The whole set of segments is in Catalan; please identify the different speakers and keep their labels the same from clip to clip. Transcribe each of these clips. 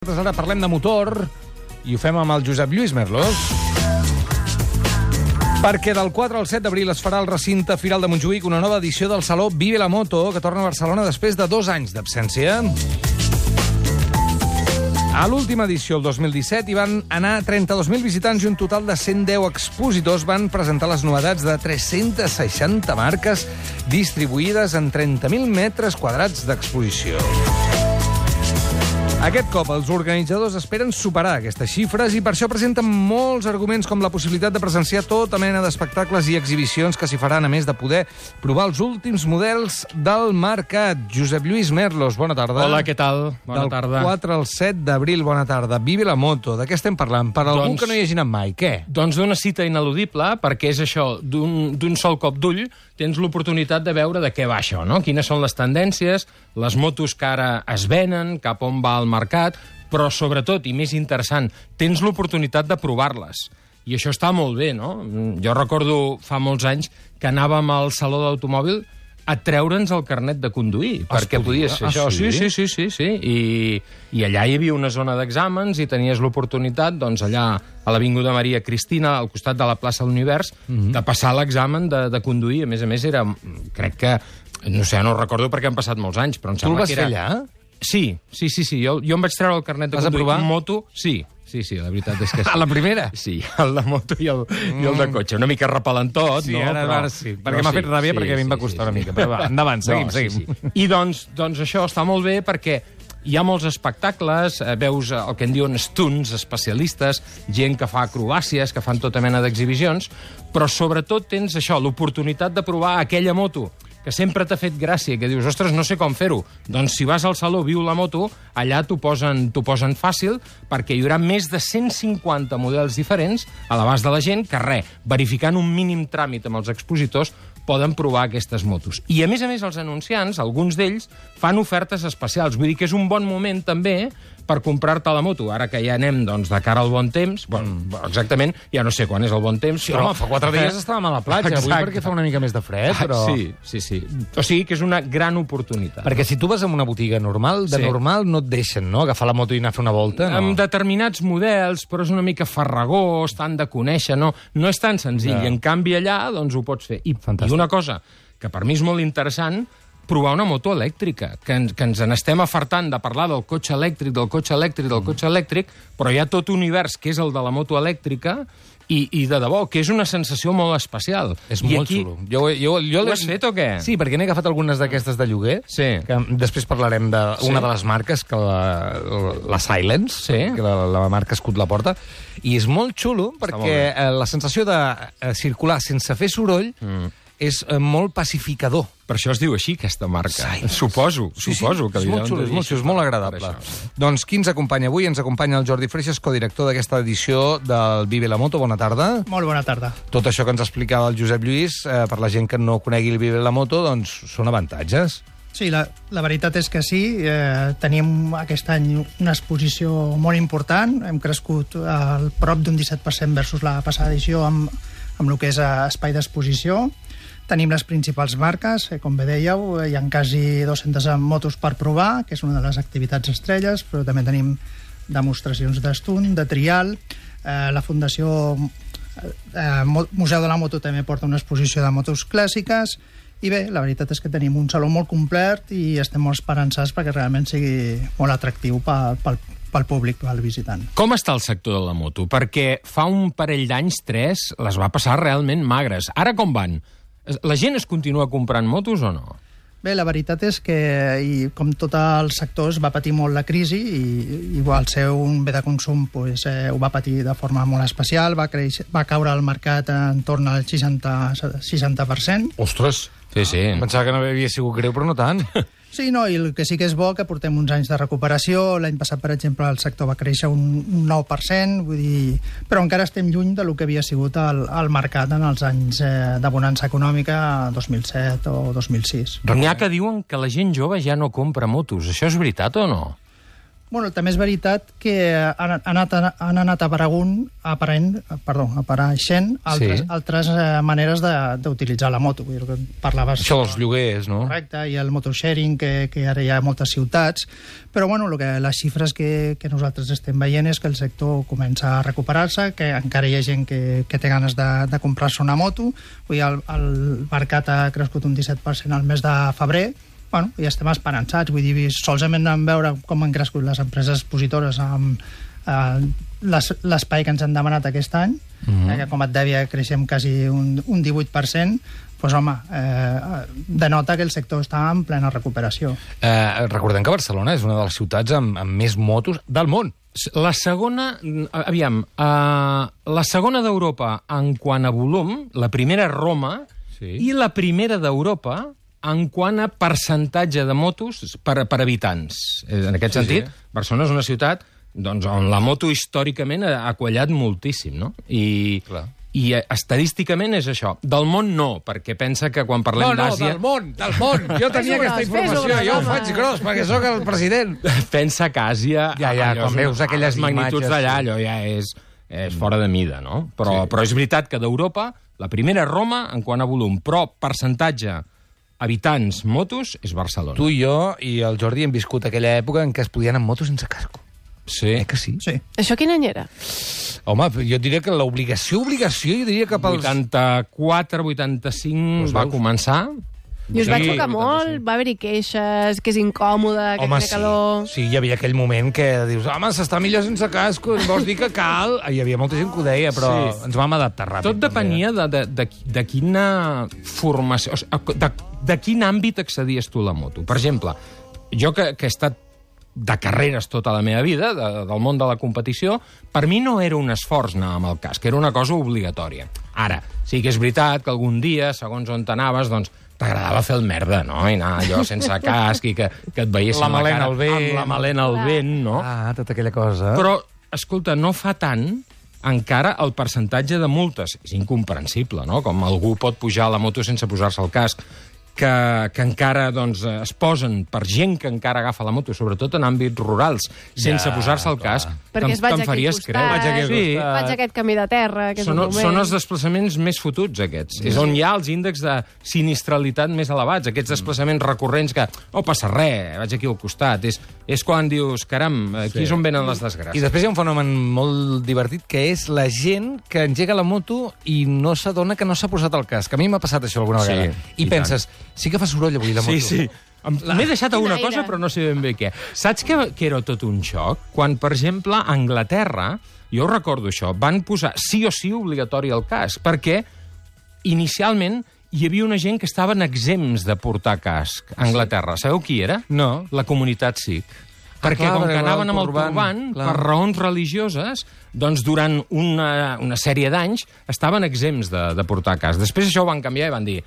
Speaker 1: Ara parlem de motor i ho fem amb el Josep Lluís Merlos. Perquè del 4 al 7 d'abril es farà al recinte Firal de Montjuïc una nova edició del Saló Vive la Moto, que torna a Barcelona després de 2 anys d'absència. A l'última edició, el 2017, hi van anar 32.000 visitants i un total de 110 expositors van presentar les novetats de 360 marques distribuïdes en 30.000 metres quadrats d'exposició. Aquest cop, els organitzadors esperen superar aquestes xifres i per això presenten molts arguments com la possibilitat de presenciar tota mena d'espectacles i exhibicions que s'hi faran, a més de poder provar els últims models del mercat. Josep Lluís Merlos, bona tarda.
Speaker 2: Hola, què tal? Bona tarda.
Speaker 1: Del 4 al 7 d'abril, bona tarda. Vive la Moto, de què estem parlant? Per algú que no hi hagi anat mai, què?
Speaker 2: Doncs d'una cita ineludible, perquè és això, d'un sol cop d'ull, tens l'oportunitat de veure de què va això, no? Quines són les tendències, les motos que ara es venen, cap on va el mercat, però sobretot, i més interessant, tens l'oportunitat de provar-les. I això està molt bé, no? Jo recordo fa molts anys que anàvem al Saló d'Automòbil a treure'ns el carnet de conduir, perquè podies fer això. Sí. I allà hi havia una zona d'exàmens i tenies l'oportunitat, doncs, allà a l'Avinguda Maria Cristina, al costat de la plaça de l'Univers, de passar l'examen de conduir. A més, era... Crec que... No sé, no ho recordo perquè han passat molts anys, però em sembla que era...
Speaker 1: Tu el vas fer allà?
Speaker 2: Sí. Jo em vaig treure el carnet de conduir.
Speaker 1: Vas aprovar?
Speaker 2: Moto, sí, la veritat és que sí.
Speaker 1: A la primera?
Speaker 2: Sí, el de moto i el de cotxe. Una mica repel·lentot,
Speaker 1: sí,
Speaker 2: no?
Speaker 1: Ara sí, perquè m'ha fet ràbia perquè a mi em va costar una mica. Però va, endavant, seguim.
Speaker 2: Sí. I doncs això està molt bé perquè hi ha molts espectacles, veus el que en diuen stunts, especialistes, gent que fa acrobàcies, que fan tota mena d'exhibicions, però sobretot tens això, l'oportunitat de provar aquella moto que sempre t'ha fet gràcia, que dius, ostres, no sé com fer-ho. Doncs si vas al Saló Viu la Moto, allà t'ho posen fàcil, perquè hi haurà més de 150 models diferents a l'abast de la gent que, verificant un mínim tràmit amb els expositors, poden provar aquestes motos. I, a més, els anunciants, alguns d'ells, fan ofertes especials. Vull dir que és un bon moment, també, per comprar-te la moto. Ara que ja anem, doncs, de cara al bon temps, exactament, ja no sé quan és el bon temps,
Speaker 1: sí,
Speaker 2: però...
Speaker 1: Home, fa 4 dies estàvem a la platja, avui perquè fa una mica més de fred, però...
Speaker 2: Sí. O sigui que és una gran oportunitat.
Speaker 1: Perquè si tu vas a una botiga normal, normal no et deixen, no?, agafar la moto i anar a fer una volta, no?
Speaker 2: Amb determinats models, però és una mica farragós, t'han de conèixer, no és tan senzill. I en canvi allà, doncs, ho pots fer. I una cosa que per mi és molt interessant, provar una moto elèctrica, que ens n'estem afartant de parlar del cotxe elèctric, però hi ha tot un univers que és el de la moto elèctrica i de debò, que és una sensació molt especial.
Speaker 1: És molt xulo. Jo
Speaker 2: ho has fet o què?
Speaker 1: Sí, perquè n'he agafat algunes d'aquestes de lloguer, que després parlarem d'una de les marques, que la Silence, que la marca Escut la porta, i és molt xulo perquè la sensació de circular sense fer soroll és molt pacificador.
Speaker 2: Per això es diu així, aquesta marca. Suposo que...
Speaker 1: És molt xulo, és molt agradable. Doncs qui ens acompanya avui? Ens acompanya el Jordi Freixas, codirector d'aquesta edició del Vive la Moto. Bona tarda.
Speaker 3: Molt bona tarda.
Speaker 1: Tot això que ens explicava el Josep Lluís, per la gent que no conegui el Vive la Moto, doncs són avantatges.
Speaker 3: Sí, la veritat és que sí. Tenim aquest any una exposició molt important. Hem crescut al prop d'un 17% versus la passada edició amb el que és espai d'exposició. Tenim les principals marques, com bé dèieu, hi ha quasi 200 motos per provar, que és una de les activitats estrelles, però també tenim demostracions d'estunt, de trial. La Fundació Museu de la Moto també porta una exposició de motos clàssiques, i bé, la veritat és que tenim un saló molt complet i estem molt esperançats perquè realment sigui molt atractiu pel públic, pel visitant.
Speaker 2: Com està el sector de la moto? Perquè fa un parell d'anys, 3, les va passar realment magres. Ara com van? La gent es continua comprant motos o no?
Speaker 3: Bé, la veritat és que, com tot el sector, va patir molt la crisi i al ser un bé de consum ho va patir de forma molt especial, va caure el mercat en torn al 60%.
Speaker 1: Ostres!
Speaker 2: Sí.
Speaker 1: Pensava que no havia sigut greu, però no tant.
Speaker 3: Sí, no, i el que sí que és bo, que portem uns anys de recuperació. L'any passat, per exemple, el sector va créixer un 9%, vull dir... Però encara estem lluny del que havia sigut el mercat en els anys de bonança econòmica, 2007 o 2006.
Speaker 2: N'hi ha que diuen que la gent jove ja no compra motos. Això és veritat o no?
Speaker 3: Bueno, també és veritat que han anat apareixent altres maneres d'utilitzar la moto. Vull dir, parlaves...
Speaker 1: Això dels lloguers, no?
Speaker 3: Correcte, i el motosharing, que ara hi ha a moltes ciutats. Però, bueno, les xifres que nosaltres estem veient és que el sector comença a recuperar-se, que encara hi ha gent que té ganes de comprar-se una moto. Vull dir, el mercat ha crescut un 17% al mes de febrer. Bueno, ja estem esperançats, vull dir, solament en veure com han crescut les empreses expositores amb l'espai que ens han demanat aquest any, que com et deia creixem quasi un 18%, doncs home, denota que el sector està en plena recuperació.
Speaker 1: Recordem que Barcelona és una de les ciutats amb més motos del món.
Speaker 2: La segona, la segona d'Europa en quant a volum, la primera Roma, i la primera d'Europa en quant a percentatge de motos per habitants. En aquest sentit, Barcelona és una ciutat on la moto històricament ha quallat moltíssim, no? I estadísticament és això. Del món no, perquè pensa que quan parlem d'Àsia...
Speaker 1: No, del món! Jo tenia aquesta informació, jo ho faig gros, perquè sóc el president.
Speaker 2: Pensa que Àsia...
Speaker 1: quan veus aquelles
Speaker 2: magnituds d'allà, allò ja és fora de mida, no? Però és veritat que d'Europa, la primera Roma en quant a volum, però percentatge habitants, motos, és Barcelona.
Speaker 1: Tu i jo i el Jordi hem viscut aquella època en què es podien anar amb motos sense casco.
Speaker 2: Sí.
Speaker 1: Que sí?
Speaker 3: Sí.
Speaker 4: Això quin any era?
Speaker 1: Home, jo diria que l'obligació, jo diria que pels...
Speaker 2: 84, 85 va començar.
Speaker 4: I us va xocar molt? Va haver-hi queixes, que és incòmode, que té calor...
Speaker 1: Sí, hi havia aquell moment que dius, home, s'està millor sense casco, vols dir que cal? Hi havia molta gent que ho deia, però ens vam adaptar ràpid.
Speaker 2: Tot depenia de quina formació... De quin àmbit accedies tu a la moto. Per exemple, jo que he estat de carreres tota la meva vida, del món de la competició, per mi no era un esforç anar amb el casc, era una cosa obligatòria. Ara, sí que és veritat que algun dia, segons on t'anaves, doncs t'agradava fer el merda, no? I anar allò sense casc i que et veiessin la cara amb la melena al vent, no?
Speaker 1: Ah, tota aquella cosa.
Speaker 2: Però, escolta, no fa tant encara el percentatge de multes. És incomprensible, no? Com algú pot pujar a la moto sense posar-se el casc, que encara doncs, es posen per gent que encara agafa la moto, sobretot en àmbits rurals, sense posar-se el casc,
Speaker 4: perquè es vaig aquí al costat, vaig aquest camí de terra, que és un moment...
Speaker 2: Són els desplaçaments més fotuts, aquests. És on hi ha els índexs de sinistralitat més elevats, aquests desplaçaments recurrents que no passa res, vaig aquí al costat. És quan dius, caram, aquí és on venen les desgràcies.
Speaker 1: I després hi ha un fenomen molt divertit, que és la gent que engega la moto i no s'adona que no s'ha posat el casc. A mi m'ha passat això alguna vegada. I penses, sí que fa soroll avui la moto.
Speaker 2: Sí. M'he deixat alguna cosa, però no sé ben bé què. Saps que era tot un xoc? Quan, per exemple, a Anglaterra, jo recordo això, van posar sí o sí obligatori el casc, perquè inicialment hi havia una gent que estaven exempts de portar casc a Anglaterra. Sabeu qui era?
Speaker 1: No.
Speaker 2: La comunitat sikh. Perquè com que anaven amb el turbant, per raons religioses, doncs durant una sèrie d'anys estaven exempts de portar casc. Després això ho van canviar i van dir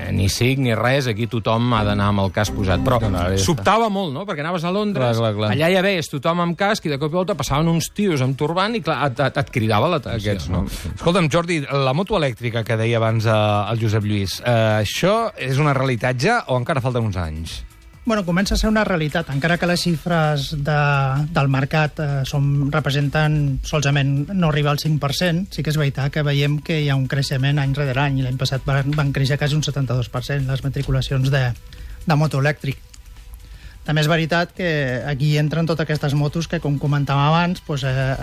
Speaker 2: ni SIC ni res, aquí tothom ha d'anar amb el casc posat. Però sobtava molt, no? Perquè anaves a Londres, allà ja veies tothom amb casc i de cop i volta passaven uns tios amb turbant i clar, et cridava l'atenció.
Speaker 1: No? Escolta'm, Jordi, la moto elèctrica que deia abans el Josep Lluís, això és una realitat ja o encara falten uns anys?
Speaker 3: Bueno, comença a ser una realitat, encara que les xifres del mercat representen solament no arriba al 5%, sí que és veritat que veiem que hi ha un creixement any rere any, i l'any passat van créixer quasi un 72% les matriculacions de moto elèctric. També és veritat que aquí entren totes aquestes motos que, com comentàvem abans,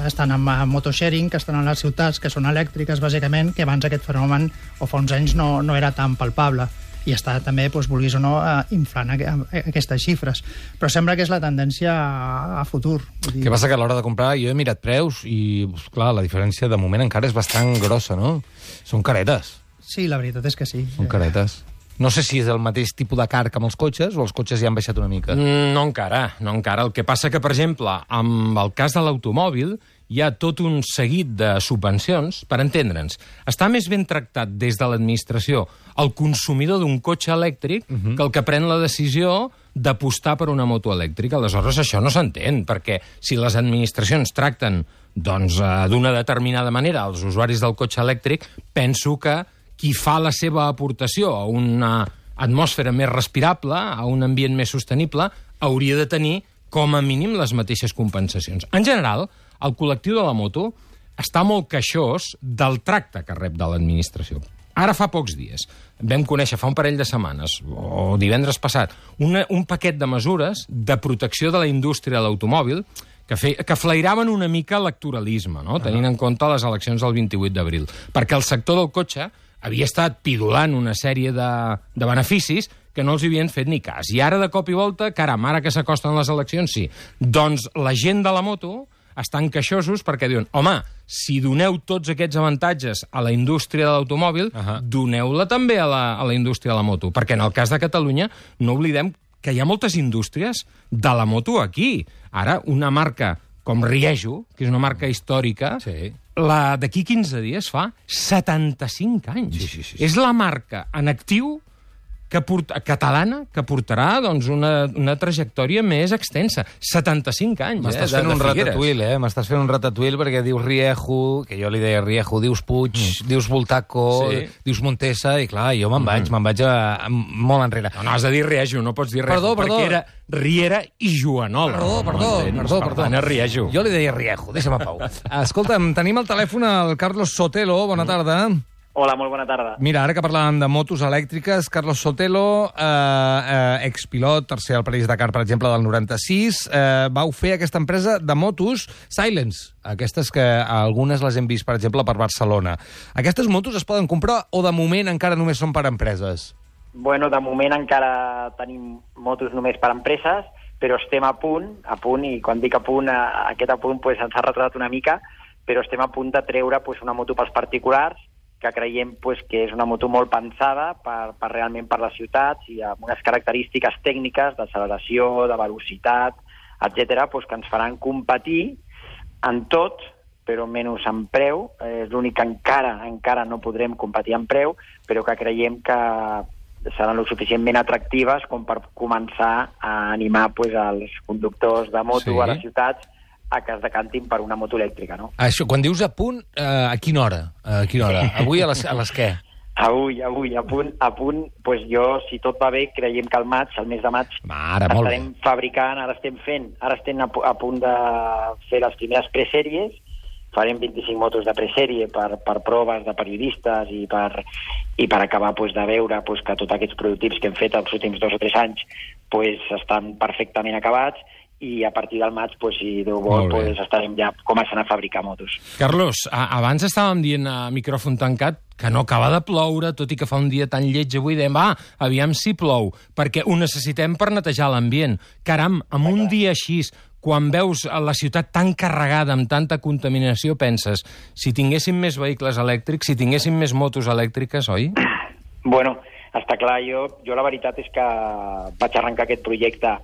Speaker 3: estan amb motosharing, que estan a les ciutats, que són elèctriques, bàsicament, que abans aquest fenomen, o fa uns anys, no era tan palpable. I està també, vulguis o no, inflant aquestes xifres. Però sembla que és la tendència a futur.
Speaker 1: Què passa que a l'hora de comprar jo he mirat preus i, clar, la diferència de moment encara és bastant grossa, no? Són caretes.
Speaker 3: Sí, la veritat és que sí.
Speaker 1: Són caretes. No sé si és el mateix tipus de car que amb els cotxes o els cotxes ja han baixat una mica.
Speaker 2: No encara. El que passa que, per exemple, amb el cas de l'automòbil, hi ha tot un seguit de subvencions, per entendre'ns. Està més ben tractat des de l'administració el consumidor d'un cotxe elèctric que el que pren la decisió d'apostar per una moto elèctrica. Aleshores, això no s'entén, perquè si les administracions tracten d'una determinada manera els usuaris del cotxe elèctric, penso que qui fa la seva aportació a una atmosfera més respirable, a un ambient més sostenible, hauria de tenir com a mínim les mateixes compensacions. En general, el col·lectiu de la moto està molt queixós del tracte que rep de l'administració. Ara fa pocs dies vam conèixer, fa un parell de setmanes, o divendres passat, un paquet de mesures de protecció de la indústria de l'automòbil que flairaven una mica electoralisme, no? Tenint en compte les eleccions del 28 d'abril. Perquè el sector del cotxe havia estat pidolant una sèrie de beneficis que no els havien fet ni cas. I ara, de cop i volta, caram, ara que s'acosten les eleccions, sí. Doncs la gent de la moto estan queixosos perquè diuen, home, si doneu tots aquests avantatges a la indústria de l'automòbil, doneu-la també a la indústria de la moto. Perquè en el cas de Catalunya, no oblidem que hi ha moltes indústries de la moto aquí. Ara, una marca com Riejo, que és una marca històrica, d'aquí 15 dies fa 75 anys. Sí. És la marca en actiu catalana que portarà doncs, una trajectòria més extensa. 75 anys,
Speaker 1: M'estàs fent un ratatouille, M'estàs fent un ratatouille perquè dius Riejo, que jo li deia Riejo, dius Puig, dius Voltaco, dius Montesa, i clar, jo me'n vaig molt enrere.
Speaker 2: No, has de dir Riejo, no pots dir Riejo, perquè era Riera i Joanola.
Speaker 1: Perdó.
Speaker 2: No Riejo.
Speaker 1: Jo li deia Riejo, deixa'm a pau. Escolta'm, tenim al telèfon el Carlos Sotelo, bona tarda.
Speaker 5: Hola, molt bona tarda.
Speaker 1: Mira, ara que parlàvem de motos elèctriques, Carlos Sotelo, expilot, tercer al París-Dakar, per exemple, del 96, vau fer aquesta empresa de motos Silence, aquestes que algunes les hem vist, per exemple, per Barcelona. Aquestes motos es poden comprar o de moment encara només són per empreses?
Speaker 5: Bueno, de moment encara tenim motos només per empreses, però estem a punt, i quan dic a punt, aquest a punt pues, ens ha retratat una mica, però estem a punt de treure pues, una moto pels particulars, que creiem pues, que és una moto molt pensada realment per les ciutats i amb unes característiques tècniques d'acceleració, de velocitat, etc., pues, que ens faran competir en tot, però menys en preu. És l'únic que encara no podrem competir en preu, però que creiem que seran lo suficientment atractives com per començar a animar pues, els conductors de moto a les ciutats a que es decantin per una moto elèctrica, no?
Speaker 1: Això, quan dius a punt, a quina hora? Avui a les què?
Speaker 5: Avui, a punt, pues jo, si tot va bé, creiem que al mes de maig, estarem fabricant, ara estem a punt de fer les primeres presèries, farem 25 motos de presèrie per proves de periodistes i per acabar pues, de veure pues, que tots aquests prototips que hem fet els últims 2 o 3 anys pues, estan perfectament acabats, i a partir del maig, pues, si Déu vol, pues, estarem ja començant a fabricar motos.
Speaker 2: Carlos, abans estàvem dient a micròfon tancat que no acaba de ploure, tot i que fa un dia tan lleig avui, dèiem, aviam si plou, perquè ho necessitem per netejar l'ambient. Caram, amb un dia així, quan veus la ciutat tan carregada, amb tanta contaminació, penses, si tinguéssim més vehicles elèctrics, si tinguéssim més motos elèctriques, oi?
Speaker 5: Bueno, està clar, jo la veritat és que vaig arrencar aquest projecte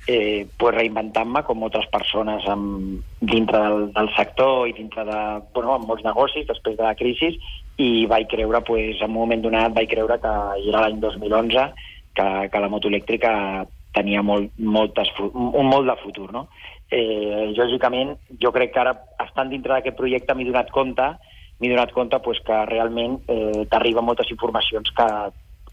Speaker 5: pues reinventant-me com moltes persones dintre del sector i dintre de amb molts negocis després de la crisi, i vaig creure, pues, en un moment donat vaig creure que era l'any 2011 que la moto elèctrica tenia un molt de futur, no? Lògicament, jo crec que ara, estant dintre d'aquest projecte, m'he donat compte pues, que realment t'arriben moltes informacions que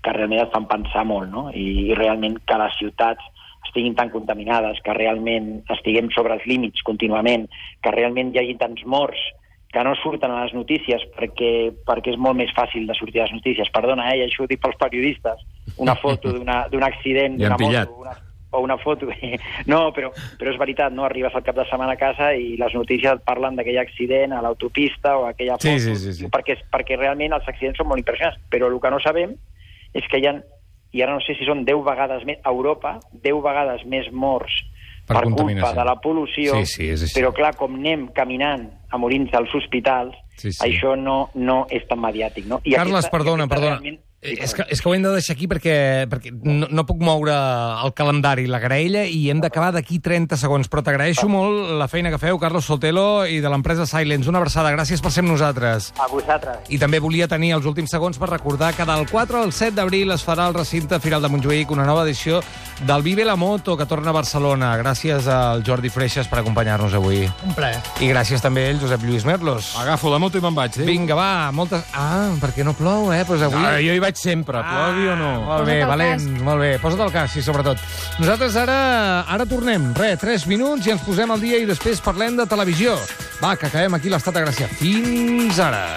Speaker 5: realment et fan pensar molt, no? I realment que les ciutats estiguin tan contaminades, que realment estiguem sobre els límits contínuament, que realment hi hagi tants morts que no surten a les notícies perquè és molt més fàcil de sortir a les notícies. Perdona, i això ho dic pels periodistes. Una foto d'un accident d'una moto o una foto... No, però és veritat, no? Arribes al cap de setmana a casa i les notícies et parlen d'aquell accident a l'autopista o aquella foto,
Speaker 1: sí.
Speaker 5: Perquè realment els accidents són molt impressionants. Però el que no sabem és que hi ha, i ara no sé si són 10 vegades més, a Europa, 10 vegades més morts per culpa de la pol·lució, però clar, com anem caminant a morir-nos als hospitals, això no és tan mediàtic, no?
Speaker 1: Carles, perdona. És que ho hem de deixar aquí perquè no puc moure el calendari, la graella, i hem d'acabar d'aquí 30 segons. Però t'agraeixo molt la feina que feu, Carlos Sotelo, i de l'empresa Silence. Una abraçada, gràcies per ser amb nosaltres.
Speaker 5: A vosaltres.
Speaker 1: I també volia tenir els últims segons per recordar que del 4 al 7 d'abril es farà al recinte Firal de Montjuïc una nova edició del Vive la Moto, que torna a Barcelona. Gràcies al Jordi Freixas per acompanyar-nos avui.
Speaker 3: Un plaer.
Speaker 1: I gràcies també al Josep Lluís Merlos.
Speaker 2: Agafo la moto i me'n vaig.
Speaker 1: Vinga, va, moltes... perquè no plou, doncs avui...
Speaker 2: Jo hi vaig faig sempre, t'ho ha de dir o no?
Speaker 1: Molt bé, valent, molt bé. Posa't el cas, sí, sobretot. Nosaltres ara tornem. 3 minuts i ens posem al dia i després parlem de televisió. Va, que acabem aquí l'Estat de Gràcia. Fins ara.